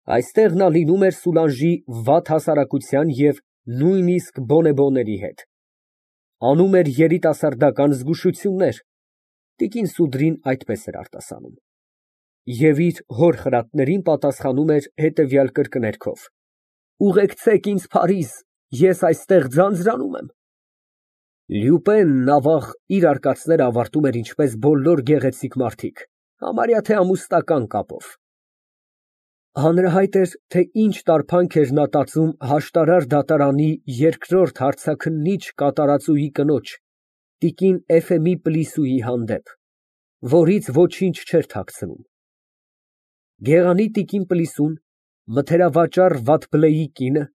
Այստեղ նա լինում էր Սուլանժի վատ հասարակության և նույնիսկ բոնեբոների հետ, անում էր երիտասարդական զգուշություններ (տիկին Սուդրին այդպես էր արտասանում) և իր հոր խրատներին պատասխանում էր հետևյալ կրկներգով. «Ուղեկցեք ինձ Փարիզ, ես այստեղ ձանձրանում եմ»։ Ավաղ, իր արկածները ավարտում էր ինչպես բոլոր գեղեցիկ մարդիկ, համարյա թե ամուսնական կապով։ Հանրահայտ էր, թե ինչ տարբանք էր նա տածում հաշտարար դատարանի երկրորդ հարցաքննիչ կատարածուի կնոջ, տիկին Էֆեմի Պլիսուի հանդեպ, որից ոչինչ չէր թաքցնում։ Գեղանի տիկին Պլիսուն, մթերավաճառ Վաթբլեի կինը,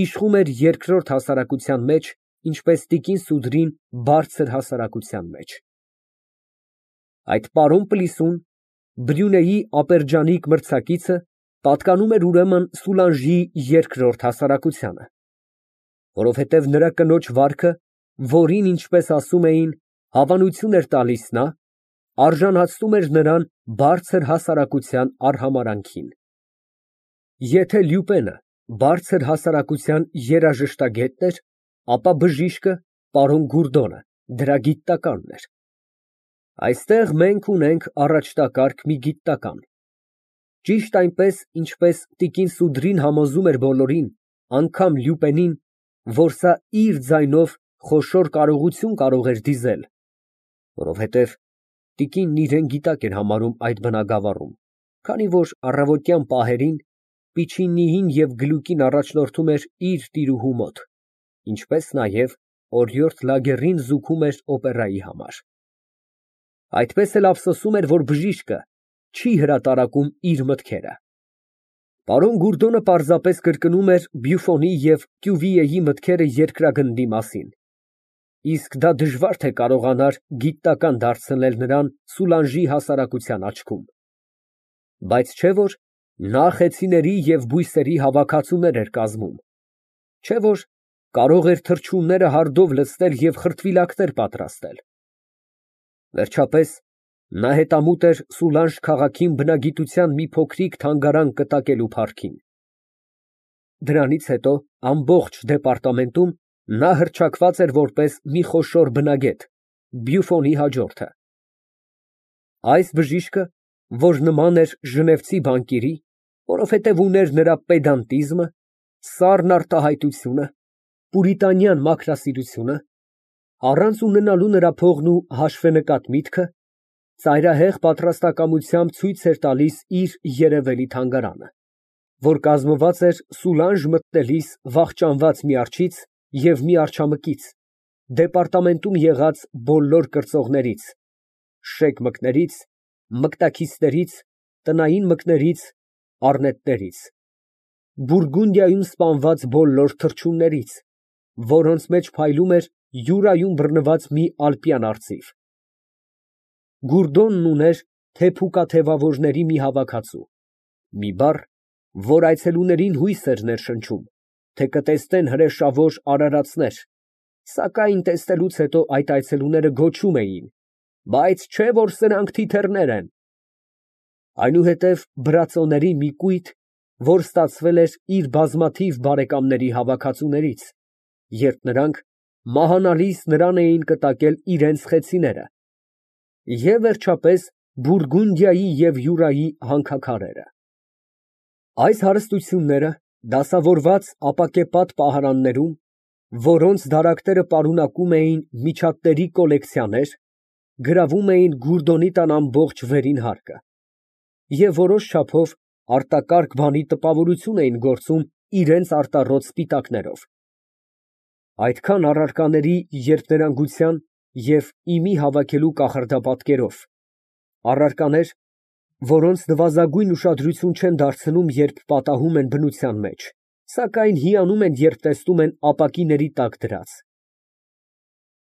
իշխում էր երկրորդ հասարակության մեջ, ինչպես տիկին Սուդրին բարձր հասարակության մեջ։ Այդ պարոն Պլիսուն, Բրյունեի ապերջանիկ մրցակիցը, պատկանում էր ուրեմն Սուլանժի երկրորդ հասարակությանը, որովհետև նրա կնոջ վարքը, որին, ինչպես ասում էին, հավանություն էր տալիս նա, արժանացնում էր նրան բարձր հասարակության արհամարհանքին։ Եթե Լյուպենը բարձր հասարակության երաժշտագետն էր, ապա բժիշկը, պարոն Գուրդոնը, դրա գիտնականն էր։ Այստեղ մենք ունենք առաջնակարգ մի գիտնական, ճիշտ այնպես, ինչպես տիկին Սուդրին համոզում էր բոլորին, անգամ Լյուպենին, որ սա իր ձայնով խոշոր կարողություն կարող էր դիզել, որովհետև տիկինն իրան գիտակ էր համարում այդ բնագավառում, քանի որ առավոտյան պահերին Պիչինիին և Գլուկին առաջնորդում էր իր տիրուհու մոտ, ինչպես նաև օրիորդ Լագերին զուգում էր օպերայի համար։ Այդպես էլ ափսոսում էր, որ բժիշկը չի հրատարակում իր մտքերը։ Պարոն Գուրդոնը պարզապես կրկնում էր Բյուֆոնի և Կյուվիեի մտքերը երկրագնդի մասին, իսկ դա դժվար թե կարողանար գիտնական դարձնել նրան Սուլանժի հասարակության աչքում, բայց չէ՞ որ նա խեցիների և բույսերի հավաքածուներ էր կազմում, չէ՞ որ կարող էր թռչունները հարդով լցնել և խրտվիլակներ պատրաստել։ Վերջապես, նա հետամուտ էր Սուլանժ քաղաքին բնագիտության մի փոքրիկ թանգարան կտակելու փարքին։ Դրանից հետո ամբողջ դեպարտամենտում նա հռչակված էր որպես մի խոշոր բնագետ, Բյուֆոնի հաջորդը։ Այս բժիշկը, որ նման էր ժնևցի բանկիրի, որովհետև ուներ նրա պեդանտիզմը, սառն արտահայտությունը, պուրիտանյան մաքրասիրությունը, առանց ունենալու նրա փողն ու հաշվենկատ միտքը, ծայրահեղ պատրաստակամությամբ ցույց էր տալիս իր երևելի թանգարանը, որ կազմված էր Սուլանժ մտնելիս վախճանված մի արջից և մի արձամկից, դեպարտամենտում եղած բոլոր կրծողներից, շեկ մկներից, մկտաքիսներից, տնային մկներից, առնետներից, Բուրգունդիայում սպանված բոլոր թռչուններից, որոնց մեջ փայլում էր յուրայում բռնված մի ալպյան արծիվ։ Գուրդոնն ուներ թեփուկաթևավորների մի հավաքածու, մի բառ, որ այցելուներին հույս էր ներշնչում, թե կտեսնեն հրեշավոր արարածներ, սակայն տեսնելուց հետո այդ այցելուները գոչում էին. «Բայց չէ՞ որ սրանք թիթեռներ են»։ Այնուհետև բրածոների մի կույտ, որ ստացվել էր իր բազմաթիվ բարեկամների հավաքածուներից, երբ նրանք մահանալիս նրան էին կտակել իրենց խեցիները, և վերջապես Բուրգունդիայի և Յուրայի հանքաքարերը։ Այս հարստությունները դասավորված ապակեպատ պահարաններում, որոնց դարակները պարունակում էին միջատների կոլեկցիաներ, գրավում էին Գուրդոնի տան ամբողջ վերին հարկը և որոշ չափով արտակարգ բանի տպավորություն էին գործում իրենց արտառոտ սպիտակներով։ Այդքան առարկաների երկներանգության և իմի հավաքելու կախարդապատկերով, առարկաներ, որոնց նվազագույն ուշադրություն չեն դարձնում, երբ պատահում են բնության մեջ, սակայն հիանում են, երբ տեսնում են ապակիների տակ դրած։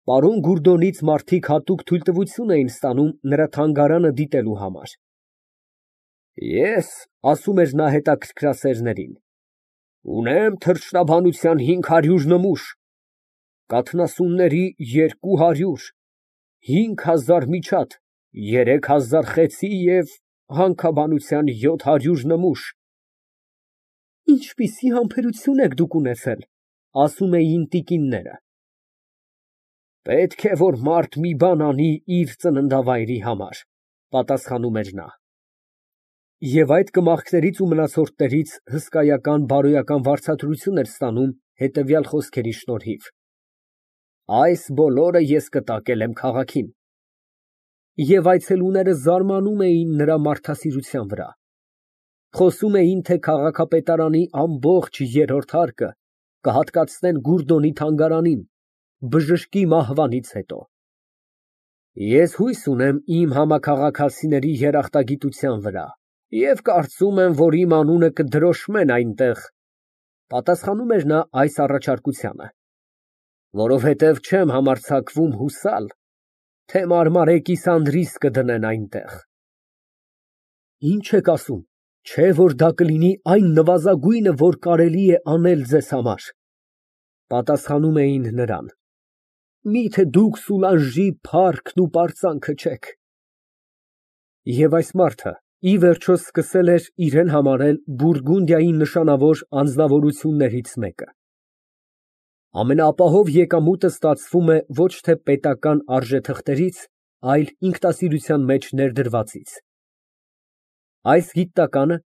Պարոն Գուրդոնից մարդիկ հատուկ թույլտվություն էին ստանում նրա թանգարանը դիտելու համար։ «Ես, ֊ ասում էր նա հետաքրքրասերներին, ֊ ունեմ թռչնաբանության 500 նմուշ, կաթնասունների 200, 5000 միջատ, 3000 խեցի և հանքաբանության 700 նմուշ, Ինչպիսի համբերություն եք դուք ունեցել, ասում էին տիկինները։ Պետք է, որ մարդ մի բան անի իր ծննդավայրի համար, պատասխանում էր նա։ Եվ այդ կմախքներից ու մնացորդներից հսկայական բարոյական վարձատրություն էր ստանում հետևյալ խոսքերի շնորհիվ. այս բոլորը ես կտակել եմ քաղաքին։ Եվ այցելուները զարմանում էին նրա մարդասիրության վրա։ Խոսում էին, թե քաղաքապետարանի ամբողջ երրորդ հարկը կհատկացնեն Գուրդոնի թանգարանին, բժշկի մահվանից հետո։ Ես հույս ունեմ իմ համաքաղաքացիների երախտագիտության վրա և կարծում եմ, որ իմ անունը կդրոշմեն այնտեղ, պատասխանում էր նա այս առաջարկությանը, որովհետև չեմ համարձակվում հուսալ, թե մարմարե կիսանդրիս կդնեն այնտեղ։ Ինչ եք ասում, չէ՞ որ դա կլինի այն նվազագույնը, որ կարելի է անել ձեզ համար, պատասխանում էին նրան։ Միթե դուք Սուլանժի փառքն ու պարծանքը չեք։ Եվ այս մարդը ի վերջո սկսել էր իրեն համարել Բուրգունդիայի նշանավոր անձնավորություններից մեկը։ Ամենաապահով եկամուտը ստացվում է ոչ թե պետական արժեթղթերից, այլ ինքնասիրության մեջ ներդրվածից։ Այս գիտականը,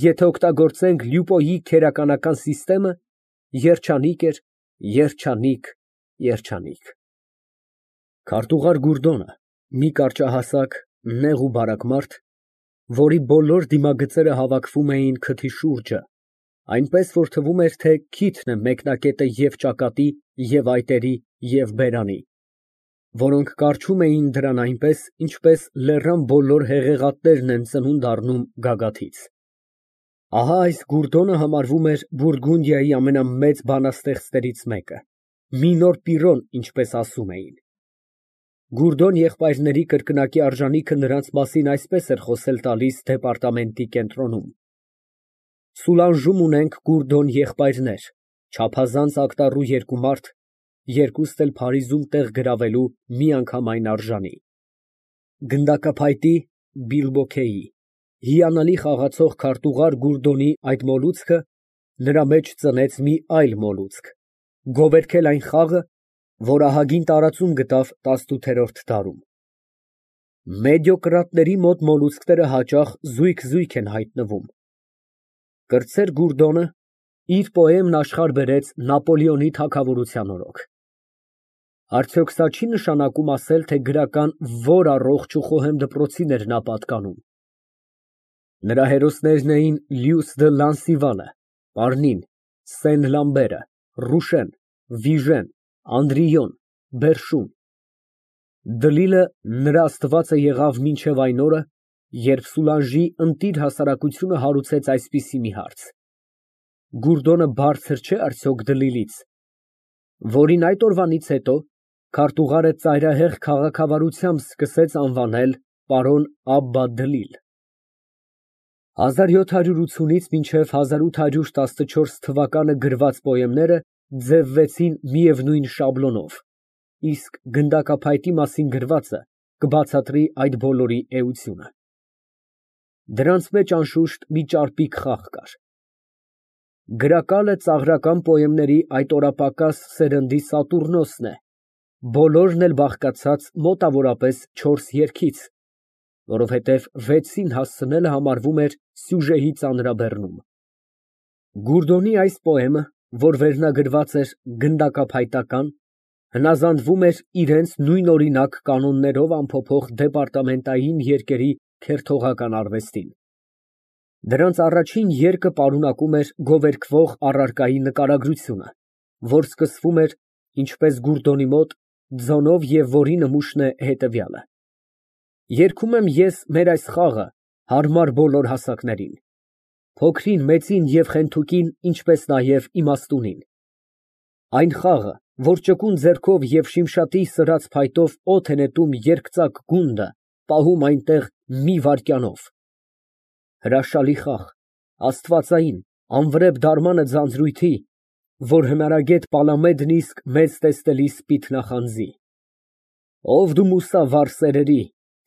եթե օգտագործենք Լյուպոյի քերականական սիստեմը, երջանիկ էր, երջանիկ, երջանիկ։ Քարտուղար Գուրդոնը, մի կարճահասակ, նեղ ու բարակ մարդ, որի բոլոր դիմագծերը հավաքվում էին քթի շուրջը, այնպես որ թվում էր, թե քիթն է մեկնակետը և ճակատի, և այտերի, և բերանի, որոնք կառչում էին դրան այնպես, ինչպես լեռան բոլոր հեղեղատներն են ծնունդ առնում գագաթից։ Ահա այս Գուրդոնը համարվում էր Բուրգունդիայի ամենամեծ բանաստեղծներից մեկը, մի նոր Պիրոն, ինչպես ասում էին։ Գուրդոն եղբայրների կրկնակի արժանիքը նրանց մասին այսպես էր խոսել տալիս դեպարտամենտի կենտրոնում. Սուլանժում ունենք Գուրդոն եղբայրներ, չափազանց ակտառու երկու մարդ, երկուստ էլ Փարիզում տեղ գրավելու միանգամայն արժանի։ Գնդակափայտի Բիլբոքեի հիանալի խաղացող քարտուղար Գուրդոնի այդ մոլուցքը նրա մեջ ծնեց մի այլ մոլուցք, գովերգել այն խաղը, որ ահագին տարածում գտավ 18-րդ դարում։ Մեդիոկրատների մոտ մոլուցքները հաճախ զույգ են հայտնվում։ Կրտսեր Գուրդոնը իր պոեմն աշխարհ բերեց Նապոլեոնի թագավորության օրոք։ Արդյոք սա չի նշանակում ասել, թե գրական որ առողջ ու խոհեմ դպրոցին էր նա պատկանում։ Նրա հերոսներն էին Լյուս դը Լանսիվանը, Պարնին, Սեն֊Լամբերը, Ռուշեն, Վիժեն, Անդրիոն, Բերշուն։ Դլիլը նրա աստվածը եղավ մինչև այն օրը, երբ Սուլանժի ընտիր հասարակությունը հարուցեց այսպիսի մի հարց. Գուրդոնը բարձր չէ՞ արդյոք Դլիլից, որին այդ օրվանից հետո քարտուղարը ծայրահեղ քաղաքավարությամբ սկսեց անվանել պարոն Աբբա Դլիլ։ 1780-ից մինչև 1814 թվականը գրված պոեմները ձևվեցին միևնույն շաբլոնով, իսկ գնդակափայտի մասին գրվածը կբացատրի այդ բոլորի էությունը։ Դրանց մեջ անշուշտ մի ճարպիկ խաղ կար։ Գրակալը ծաղրական պոեմների այդ օրապակաս սերնդի Սատուրնոսն է, բոլորն էլ բաղկացած մոտավորապես 4 երգից, որովհետև 6-ին հասցնելը համարվում էր սյուժեի ծանրաբեռնում։ Գուրդոնի այս պոեմը, որ վերնագրված էր գնդակափայտական, հնազանդվում էր իրենց նույնօրինակ կանոններով ամփոփող դեպարտամենտային երգերի քերթողական արվեստին։ Դրանց առաջին երգը պարունակում էր գովերգվող առարկայի նկարագրությունը, որ սկսվում էր, ինչպես Գուրդոնի մոտ, ձոնով և որի նմուշն է հետևյալը. երգում եմ ես մեր այս խաղը հարմար բոլոր հասակներին, փոքրին, մեծին և խենթուկին, ինչպես նաև իմաստունին։ Այն խաղը, որ ճկուն ձեռքով և շիմշատի սրած փայտով օդ է նետում երկծակ գունդը, պահում այնտեղ մի վայրկյանով։ Հրաշալի խաղ, աստվածային, անվրեպ դարմանը ձանձրույթի, որ հնարագետ Պալամեդն իսկ մեծ տեսնելի սպիթ նախանձի։ Ով դու մուսավառ սերերի,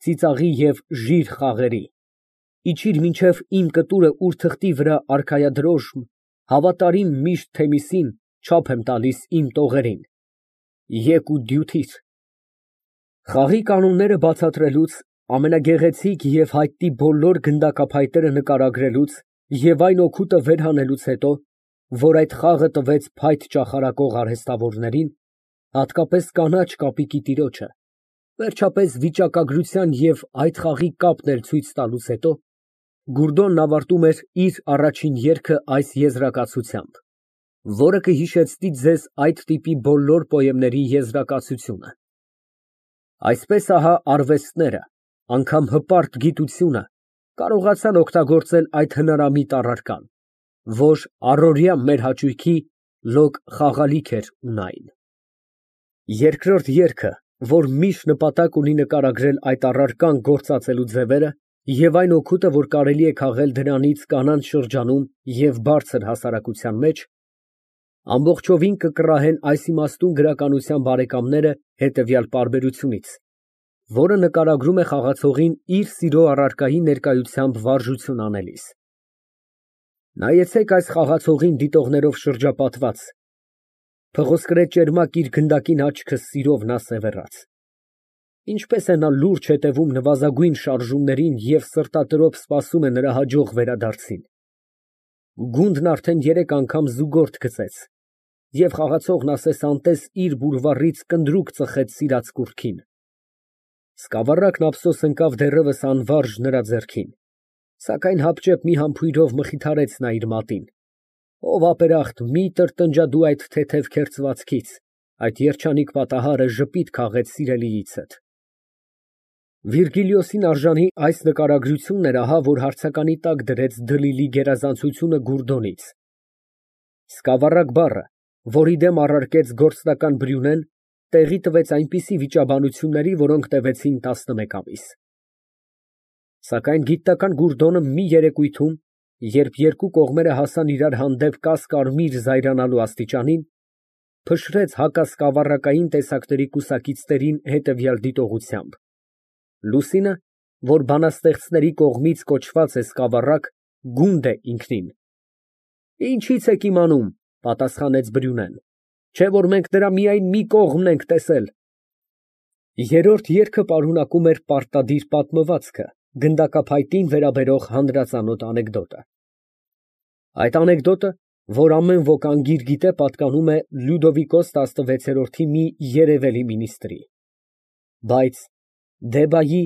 ծիծաղի և ժիր խաղերի, իջիր մինչև իմ կտուրը ուր թղթի վրա արքայադրոժմ, Հավատարիմ միշտ Թեմիսին չափ եմ տալիս իմ տողերին, եկ ու դյութիր։ Խաղի կանոնները բացատրելուց, ամենագեղեցիկ և հայտնի բոլոր գնդակափայտերը նկարագրելուց և այն օգուտը վեր հանելուց հետո, որ այդ խաղը տվեց փայտ ճախարակող արհեստավորներին, հատկապես կանաչ կապիկի տիրոջը, վերջապես վիճակագրության և այդ խաղի կապն էլ ցույց տալուց հետո, Գուրդոնն ավարտում էր իր առաջին երգը այս եզրակացությամբ, որը կհիշեցնի ձեզ այդ տիպի բոլոր պոեմների եզրակացությունը. Այսպես ահա արվեստները, անգամ հպարտ գիտությունը կարողացան օգտագործել այդ հնարամիտ առարկան, որ առօրյա մեր հաճույքի լոկ խաղալիք էր ունայն։ Երկրորդ երգը, որ միշտ նպատակ ունի նկարագրել այդ առարկան գործածելու ձևերը և այն օգուտը, որ կարելի է քաղել դրանից կանանց շրջանում և բարձր հասարակության մեջ, ամբողջովին կկռահեն այս իմաստուն գրականության բարեկամները հետևյալ պարբերությունից, որը նկարագրում է խաղացողին իր սիրո առարկայի ներկայությամբ վարժություն անելիս. Նայեցեք այս խաղացողին դիտողներով շրջապատված, փղոսկրե ճերմակ իր գնդակին աչքը սիրով նա սևեռած, ինչպես է նա լուրջ հետևում նվազագույն շարժումներին և սրտատրոփ սպասում է նրա հաջող վերադարձին, գունդն արդեն 3 անգամ զուգորդ գծեց, և խաղացողն ասես անտես իր բուրվառից կնդրուկ ծխեց սիրած կուռքին, սկավառակն ափսոս ընկավ դեռևս անվարժ նրա ձեռքին, սակայն հապճեպ մի համբույրով մխիթարեց նա իր մատին, ով ապերախտ մի տրտնջա դու այդ թեթև քերծվածքից, այդ երջանիկ պատահարը ժպիտ քաղեց սիրելիիցդ։ Վիրգիլիոսին արժանի այս նկարագրությունն էր ահա, որ հարցականի տակ դրեց դլիլի գերազանցությունը Գուրդոնից։ Սկավառակ բառը, որի դեմ առարկեց գործնական Բրյունեն, տեղի տվեց այնպիսի վիճաբանությունների, որոնք տևեցին 11 ամիս։ Սակայն գիտնական Գուրդոնը մի երեկույթում, երբ երկու կողմերը հասան իրար հանդեպ կասկարմիր զայրանալու աստիճանին, փշրեց հակասկավառակային տեսակների կուսակիցներին հետևյալ դիտողությամբ. Լուսինը, որ բանաստեղծների կողմից կոչված է սկավառակ, գունդ է ինքնին։ Ինչից եք իմանում, պատասխանեց Բրյունեն, չէ որ մենք նրա միայն մի կողմն ենք տեսել։ Երրորդ երգը պարունակում էր պարտադիր պատմվածքը, գնդակափայտին վերաբերող հանրածանոթ անեկդոտը։ Այդ անեկդոտը, որ ամեն ոք անգիր գիտե, պատկանում է Լյուդովիկոս 16-րդի մի երևելի մինիստրի։ Բայց Դեբայի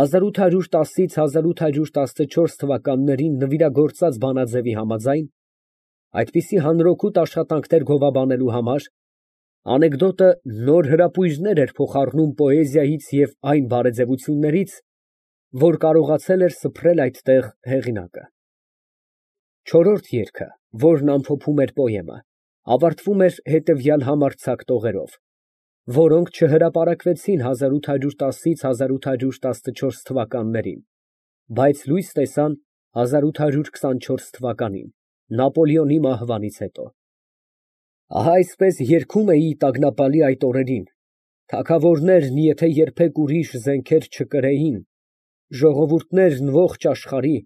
1810-ից 1814 թվականներին նվիրագործած բանաձևի համաձայն, այդպիսի հանրօգուտ աշխատանքներ գովաբանելու համար, անեկդոտը նոր հրապույրներ էր փոխառնում պոեզիայից և այն բարեձևություններից, որ կարողացել էր սփռել այդտեղ հեղինակը։ Չորրորդ երգը, որն ամփոփում էր պոեմը, ավարտվում էր հետևյալ համարձակ տողերով, որոնք չհրապարակվեցին 1810-ից 1814 թվականներին, բայց լույս տեսան 1824 թվականին, Նապոլեոնի մահվանից հետո։ Ահա այսպես երգում էի տագնապալի այդ օրերին, թագավորներն եթե երբեք ուրիշ զենքեր չկրեին, ժողովուրդներն ողջ աշխարհի,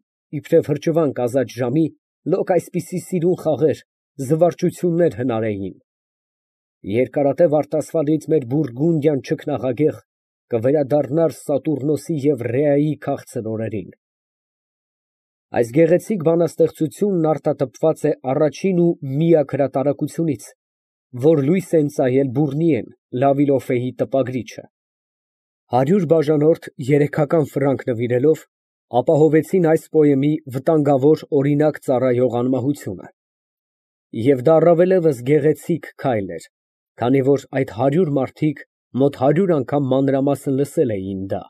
իբրև հրճվանք ազատ ժամի, լոկ այսպիսի սիրուն խաղեր, զվարճություններ հնարեին։ Երկարատև արտասվալից մեր Բուրգունդիան չքնաղագեղ կվերադառնար Սատուրնոսի և Ռեայի քաղցր օրերին։ Այս գեղեցիկ բանաստեղծությունն արտատպված է առաջին ու միակ հրատարակությունից, որ լույս է ընծայել Բուռնիեն, Լավիլոֆեի տպագրիչը։ 100 բաժանորդ 3 ֆրանկ նվիրելով, ապահովեցին այս պոեմի վտանգավոր օրինակ ծառայող անմահությունը։ Եվ դա առավելևս գեղեցիկ քայլ էր, քանի որ այդ 100 մարդիկ մոտ 100 անգամ մանրամասն լսել էին դա։